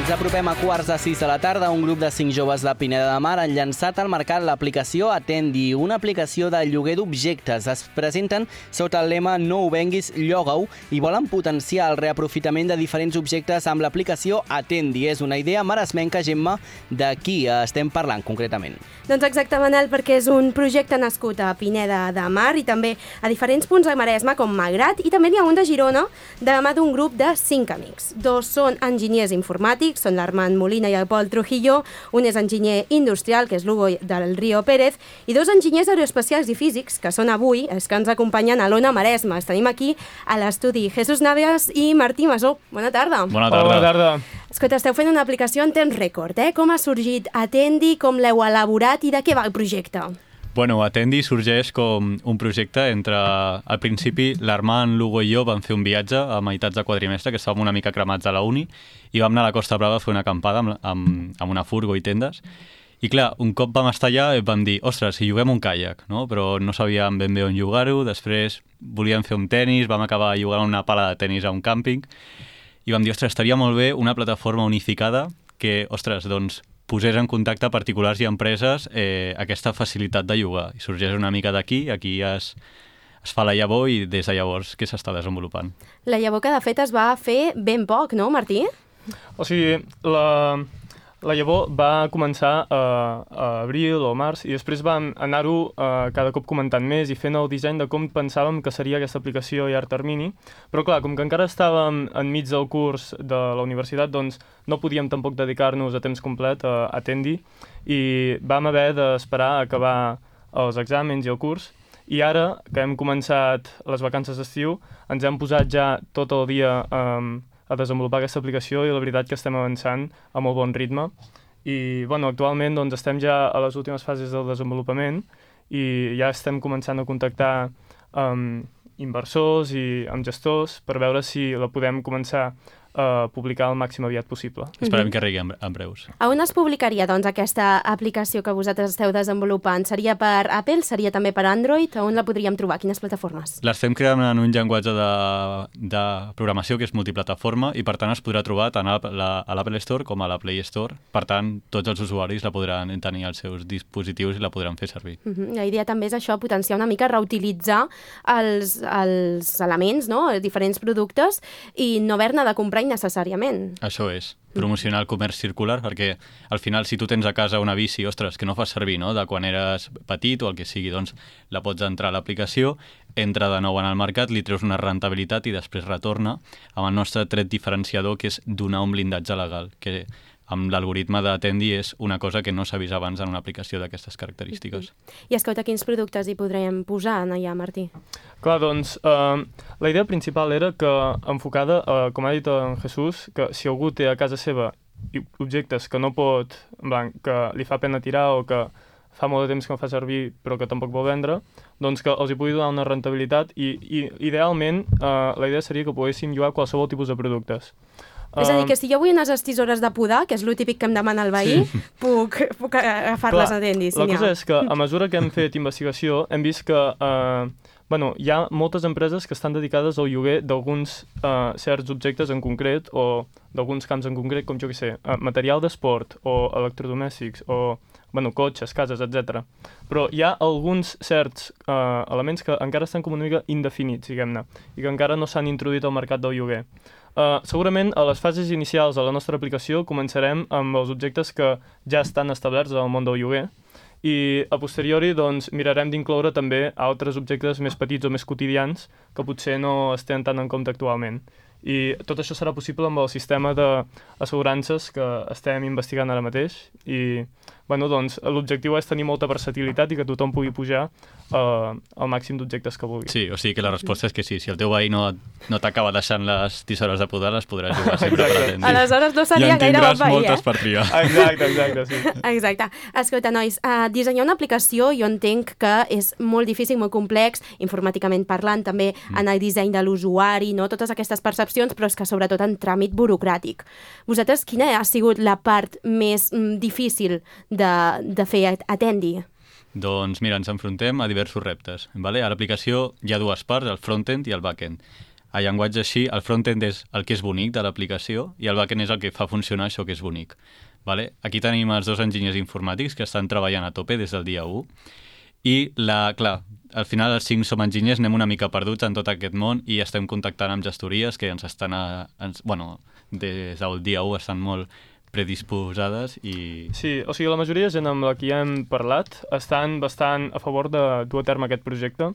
Ens apropem a 5:15 de la tarda. Un grup de 5 joves de Pineda de Mar han llançat al mercat l'aplicació Atendi, una aplicació de lloguer d'objectes. Es presenten sota el lema No ho venguis, lloga-ho i volen potenciar el reaprofitament de diferents objectes amb l'aplicació Atendi. És una idea maresmenca, Gemma, de qui estem parlant concretament? Doncs exacte, Manel, perquè és un projecte nascut a Pineda de Mar i també a diferents punts de Maresme, com Malgrat, i també n'hi ha un de Girona, de la mà d'un grup de 5 amics. 2 són enginyers informàtics, són l'Armand Molina i el Pol Trujillo, un és enginyer industrial, que és l'Hugo del Río Pérez, i 2 enginyers aeroespacials i físics, que són avui els que ens acompanyen a l'Ona Maresme. Els tenim aquí a l'estudi Jesús Navias i Martí Masó. Bona tarda. Bona tarda. Bona tarda. Escolta, esteu fent una aplicació en temps rècord, eh? Com ha sorgit Atendi, com l'heu elaborat i de què va el projecte? Bueno, Atendi sorgeix com un projecte entre... Al principi, l'Armand, l'Hugo i jo vam fer un viatge a meitats de quadrimestre, que estàvem una mica cremats a la uni, i vam anar a la Costa Brava a fer una acampada amb una furgo i tendes. I clar, un cop vam estar allà vam dir, ostres, si lloguem un caiac, no? Però no sabíem ben bé on llogar-ho. Després volíem fer un tennis, vam acabar llogant una pala de tennis a un càmping, i vam dir, ostres, estaria molt bé una plataforma unificada que, ostres, doncs, posés en contacte particulars i empreses aquesta facilitat de llogar. I sorgeix una mica d'aquí, aquí es fa la llavor i des de llavors que s'està desenvolupant. La llavor que de fet es va fer ben poc, no, Martí? O sigui, la llavor va començar a abril o març i després vam anar-ho cada cop comentant més i fent el disseny de com pensàvem que seria aquesta aplicació a llarg termini. Però clar, com que encara estàvem enmig del curs de la universitat, doncs no podíem tampoc dedicar-nos a temps complet a Atendi i vam haver d'esperar a acabar els exàmens i el curs. I ara, que hem començat les vacances d'estiu, ens hem posat ja tot el dia a desenvolupar aquesta aplicació i la veritat que estem avançant a molt bon ritme. I bueno, actualment doncs, estem ja a les últimes fases del desenvolupament i ja estem començant a contactar amb inversors i amb gestors per veure si la podem començar a publicar el màxim aviat possible. Esperem que arribi en breus. A on es publicaria, doncs, aquesta aplicació que vosaltres esteu desenvolupant? Seria per Apple? Seria també per Android? A on la podríem trobar? Quines plataformes? L'estem creant en un llenguatge de programació que és multiplataforma i, per tant, es podrà trobar tant a l'Apple Store com a la Play Store. Per tant, tots els usuaris la podran tenir als seus dispositius i la podran fer servir. La idea també és això, potenciar una mica, reutilitzar els elements, no?, els diferents productes i no haver-ne de comprar necessàriament. Això és, promocionar el comerç circular, perquè al final si tu tens a casa una bici, ostres, que no fas servir, no?, de quan eres petit o el que sigui, doncs la pots entrar a l'aplicació, entra de nou en el mercat, li treus una rentabilitat i després retorna amb el nostre tret diferenciador, que és donar un blindatge legal, que amb l'algoritme d'Atendi és una cosa que no s'ha vist abans en una aplicació d'aquestes característiques. I escolta, quins productes hi podrem posar allà, Martí? Clar, doncs, la idea principal era que, enfocada, com ha dit en Jesús, que si algú té a casa seva objectes que no pot, que li fa pena tirar o que fa molt de temps que no fa servir però que tampoc vol vendre, doncs que els hi pugui donar una rentabilitat i idealment la idea seria que poguéssim llogar qualsevol tipus de productes. És a dir, que si jo vull unes estisores de podar, que és lo típic que em demana el veí, puc agafar-les a Atendi. La cosa és que a mesura que hem fet investigació hem vist que hi ha moltes empreses que estan dedicades al lloguer d'alguns certs objectes en concret o d'alguns camps en concret, com jo que sé, material d'esport o electrodomèstics o cotxes, cases, etc. Però hi ha alguns certs elements que encara estan com una mica indefinits, diguem-ne, i que encara no s'han introduït al mercat del lloguer. Segurament a les fases inicials de la nostra aplicació començarem amb els objectes que ja estan establerts en el món del lloguer i a posteriori doncs, mirarem d'incloure també altres objectes més petits o més quotidians que potser no es tenen tant en compte actualment. I tot això serà possible amb el sistema d'assegurances que estem investigant ara mateix i doncs, l'objectiu és tenir molta versatilitat i que tothom pugui pujar el màxim d'objectes que vulgui. Sí, o sigui que la resposta és que sí. Si el teu veí no t'acaba deixant les tisores de podar, les podràs jugar sempre per Atendi. Aleshores no seria gaire bon veí, I en tindràs moltes per triar. Exacte, sí. Exacte. Escolta, nois, dissenyar una aplicació jo entenc que és molt difícil, molt complex, informàticament parlant, també en el disseny de l'usuari, no? Totes aquestes percepcions, però és que sobretot en tràmit burocràtic. Vosaltres, quina ha sigut la part més difícil de fer Atendi? Doncs mira, ens enfrontem a diversos reptes. Vale? A l'aplicació hi ha dues parts, el front-end i el back-end. a llenguatge així, el front-end és el que és bonic de l'aplicació i el back-end és el que fa funcionar això que és bonic. Vale? Aquí tenim els 2 enginyers informàtics que estan treballant a tope des del dia 1 i, clar, al final els 5 som enginyers, anem una mica perduts en tot aquest món i estem contactant amb gestories que ens estan, des del dia 1 estan molt predisposades i... Sí, o sigui, la majoria de gent amb la que ja hem parlat estan bastant a favor de dur a terme aquest projecte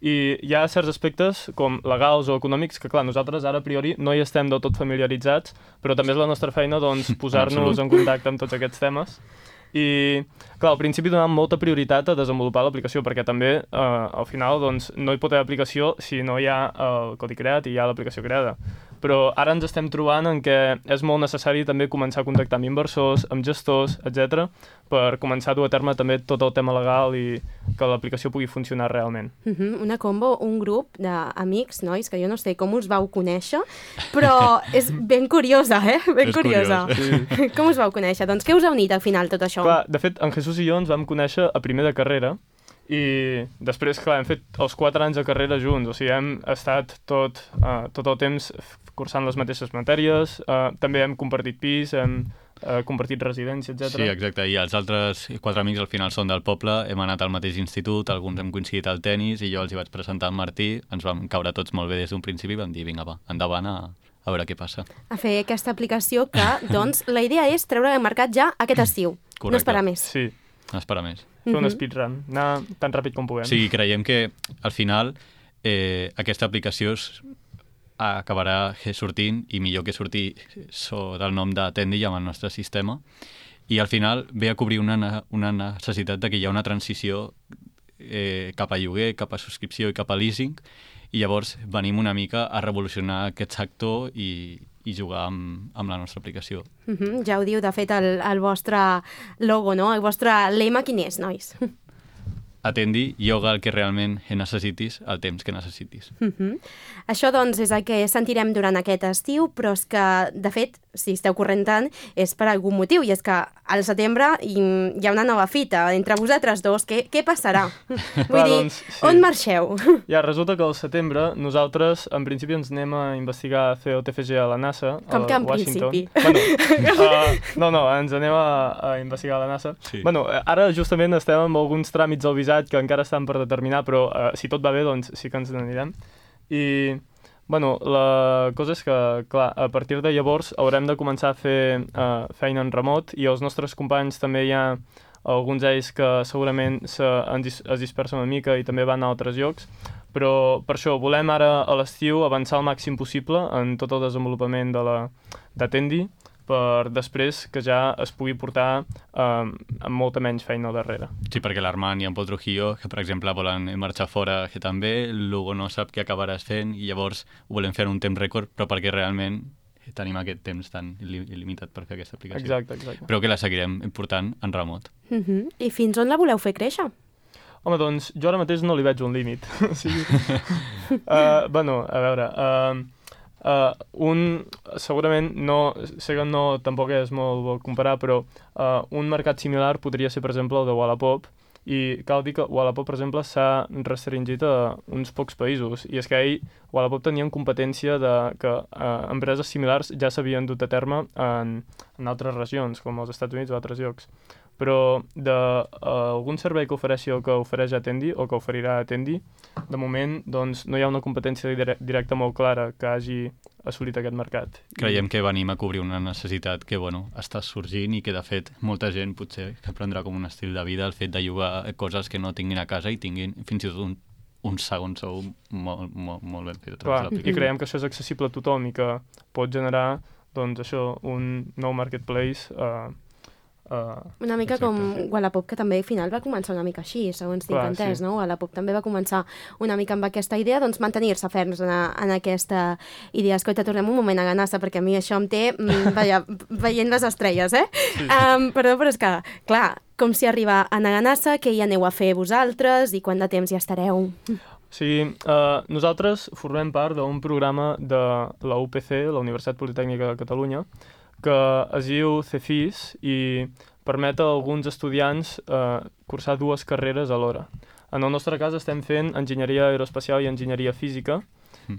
i hi ha certs aspectes com legals o econòmics que, clar, nosaltres ara a priori no hi estem del tot familiaritzats, però també és la nostra feina doncs, posar-nos en contacte amb tots aquests temes. I, clar, al principi donàvem molta prioritat a desenvolupar l'aplicació perquè també, al final, doncs, no hi pot haver aplicació si no hi ha el codi creat i hi ha l'aplicació creada. Però ara ens estem trobant en què és molt necessari també començar a contactar amb inversors, amb gestors, etc, per començar a dur a terme també tot el tema legal i que l'aplicació pugui funcionar realment. Una combo, un grup d'amics, nois, que jo no sé com us vau conèixer, però és ben curiosa, Ben curiosa. Sí. Com us vau conèixer? Doncs què us ha unit al final tot això? Clar, de fet, en Jesús i jo ens vam conèixer a primer de carrera i després, clar, hem fet els 4 anys de carrera junts, o sigui, hem estat tot el temps cursant les mateixes matèries, també hem compartit pis, hem compartit residència, etc. Sí, exacte, i els altres 4 amics al final són del poble, hem anat al mateix institut, alguns hem coincidit al tennis i jo els hi vaig presentar al Martí, ens vam caure tots molt bé des d'un principi i vam dir, vinga, va, endavant a veure què passa. A fer aquesta aplicació que, doncs, la idea és treure al mercat ja aquest estiu. Correcte. No esperar més. Sí. No esperar més. Fer un speedrun, anar tan ràpid com puguem. Sí, creiem que al final aquesta aplicació acabarà sortint, i millor que sortir sota el nom d'Atendi amb el nostre sistema, i al final ve a cobrir una necessitat de que hi ha una transició cap a lloguer, cap a subscripció i cap a leasing, i llavors venim una mica a revolucionar aquest sector i jugar amb la nostra aplicació. Ja ho diu, de fet, el vostre logo, no? El vostre lema quin és, nois? Atendi, yoga el que realment necessitis, el temps que necessitis. Això, doncs, és el que sentirem durant aquest estiu, però és que, de fet, si esteu corrent tant, és per algun motiu, i és que al setembre hi ha una nova fita entre vosaltres dos. Què passarà? Vull dir, doncs, sí. On marxeu? Ja, resulta que al setembre nosaltres, en principi, ens anem a investigar, a fer el TFG a la NASA, Com que en Washington. principi? Bueno, no, ens anem a investigar a la NASA. Sí. Bueno, ara justament estem amb alguns tràmits al visat que encara estan per determinar, però si tot va bé, doncs sí que ens n'anirem. I, bueno, la cosa és que, clar, a partir de llavors haurem de començar a fer feina en remot i els nostres companys també hi ha alguns d'ells que segurament es dispersen una mica i també van a altres llocs, però per això volem ara a l'estiu avançar el màxim possible en tot el desenvolupament d'Atendi per després que ja es pugui portar amb molta menys feina al darrere. Sí, perquè l'Armand i en Pol Trujillo, que per exemple volen marxar fora, que també, l'Hugo no sap què acabaràs fent i llavors ho volem fer en un temps rècord, però perquè realment tenim aquest temps tan il·limitat per fer aquesta aplicació. Exacte. Però que la seguirem portant en remot. I fins on la voleu fer créixer? Home, doncs jo ara mateix no li veig un límit. O sigui, bueno, a veure... segurament no, sé que no tampoc és molt bo comparar, però un mercat similar podria ser, per exemple, el de Wallapop, i cal dir que Wallapop, per exemple, s'ha restringit a uns pocs països, i és que Wallapop tenien competència de que empreses similars ja s'havien dut a terme en altres regions, com els Estats Units o altres llocs. Però d'algun servei que ofereixi o que ofereix Atendi o que oferirà Atendi, de moment doncs, no hi ha una competència directa molt clara que hagi assolit aquest mercat. Creiem que venim a cobrir una necessitat que està sorgint i que de fet molta gent potser que prendrà com un estil de vida el fet de llogar coses que no tinguin a casa i tinguin fins i tot un segon sou molt ben fet. Clar, i creiem que això és accessible a tothom i que pot generar doncs, això, un nou marketplace una mica com Wallapop, que també al final va començar una mica així, segons tinc entès, no? Wallapop també va començar una mica amb aquesta idea, doncs mantenir-se ferms en aquesta idea. Escolta, tornem un moment a Ganassa, perquè a mi això em té, veient les estrelles, Sí. Però és que, clar, com si arriba a Naganassa, què hi aneu a fer vosaltres i quant de temps hi estareu? Sí, nosaltres formem part d'un programa de la UPC, la Universitat Politècnica de Catalunya, que es diu CEFIS i permet a alguns estudiants cursar 2 carreres alhora. En el nostre cas estem fent enginyeria aeroespacial i enginyeria física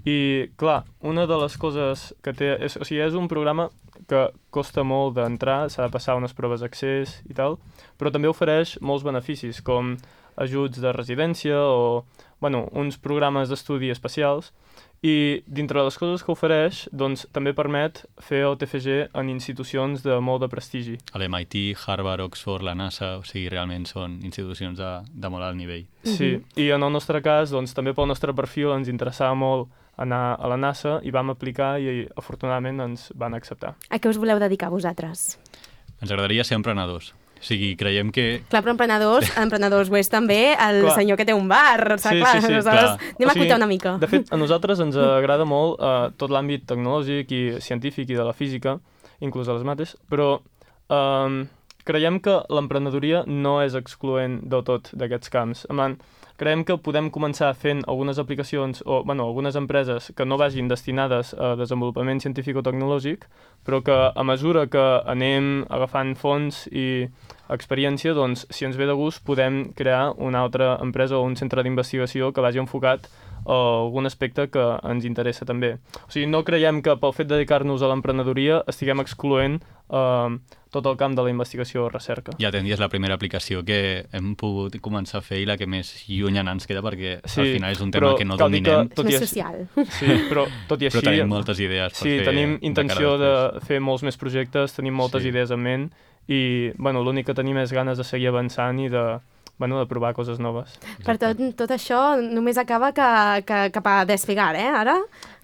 I, clar, una de les coses que té... O sigui, és un programa que costa molt d'entrar, s'ha de passar unes proves d'accés i tal, però també ofereix molts beneficis, com ajuts de residència o, bueno, uns programes d'estudi especials, i dintre les coses que ofereix, doncs, també permet fer el TFG en institucions de molt de prestigi. A l'MIT, Harvard, Oxford, la NASA, o sigui, realment són institucions de molt alt nivell. Sí, i en el nostre cas, doncs, també pel nostre perfil ens interessava molt anar a la NASA i vam aplicar i afortunadament ens van acceptar. A què us voleu dedicar vosaltres? Ens agradaria ser emprenedors. O sigui, creiem que... Clar, però emprenedors ho és també el Clar. senyor que té un bar. Sí, clar, sí, aleshores clar. anem a acotar una mica. De fet, a nosaltres ens agrada molt tot l'àmbit tecnològic i científic i de la física, inclús a les mates, però creiem que l'emprenedoria no és excloent del tot d'aquests camps. En plan, creiem que podem començar fent algunes aplicacions o, bueno, algunes empreses que no vagin destinades a desenvolupament científic o tecnològic, però que a mesura que anem agafant fons i experiència, doncs, si ens ve de gust, podem crear una altra empresa o un centre d'investigació que vagi enfocat a algun aspecte que ens interessa també. O sigui, no creiem que pel fet de dedicar-nos a l'emprenedoria estiguem excloent tot el camp de la investigació o recerca. Ja Atendi és la primera aplicació que hem pogut començar a fer i la que més llunyana ens queda perquè al final és un tema que no dominem. És més social. Sí, però tot i així... Però tenim moltes idees per fer... Sí, tenim intenció de fer molts més projectes, tenim moltes Sí. idees en ment i bueno, l'únic que tenim és ganes de seguir avançant i de provar coses noves. Per tot això només acaba que cap a despegar, ara?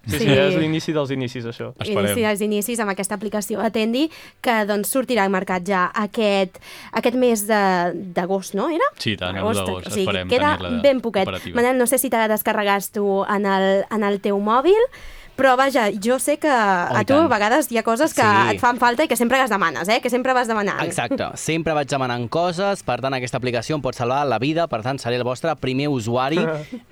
Sí, és l'inici dels inicis, això. Esperem. Inici dels inicis amb aquesta aplicació Atendi, que doncs sortirà al mercat ja aquest mes d'agost, no? Era? Sí, tant, el d'agost. O sigui, Esperem queda tenir-la ben poquet. operativa. Manel, no sé si te la descarregaves tu en el teu mòbil, però vaja, jo sé que a tu a vegades hi ha coses que Sí. et fan falta i que sempre les demanes, que sempre vas demanant. Exacte, sempre vaig demanant coses, per tant aquesta aplicació em pot salvar la vida, per tant seré el vostre primer usuari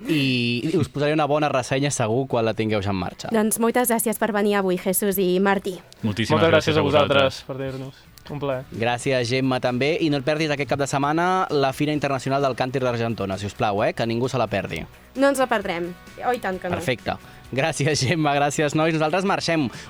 i us posaré una bona ressenya segur quan la tingueu ja en marxa. Doncs moltes gràcies per venir avui, Jesús i Martí. Moltíssimes Moltes gràcies a vosaltres. vosaltres per dir-nos. Un plaer. Gràcies, Gemma, també. I no et perdis aquest cap de setmana la Fira Internacional del Càntir d'Argentona, si us plau, que ningú se la perdi. No ens la perdrem. Oh, i tant que no. Perfecte. Gràcies, Gemma, gràcies, nois. Nosaltres marxem.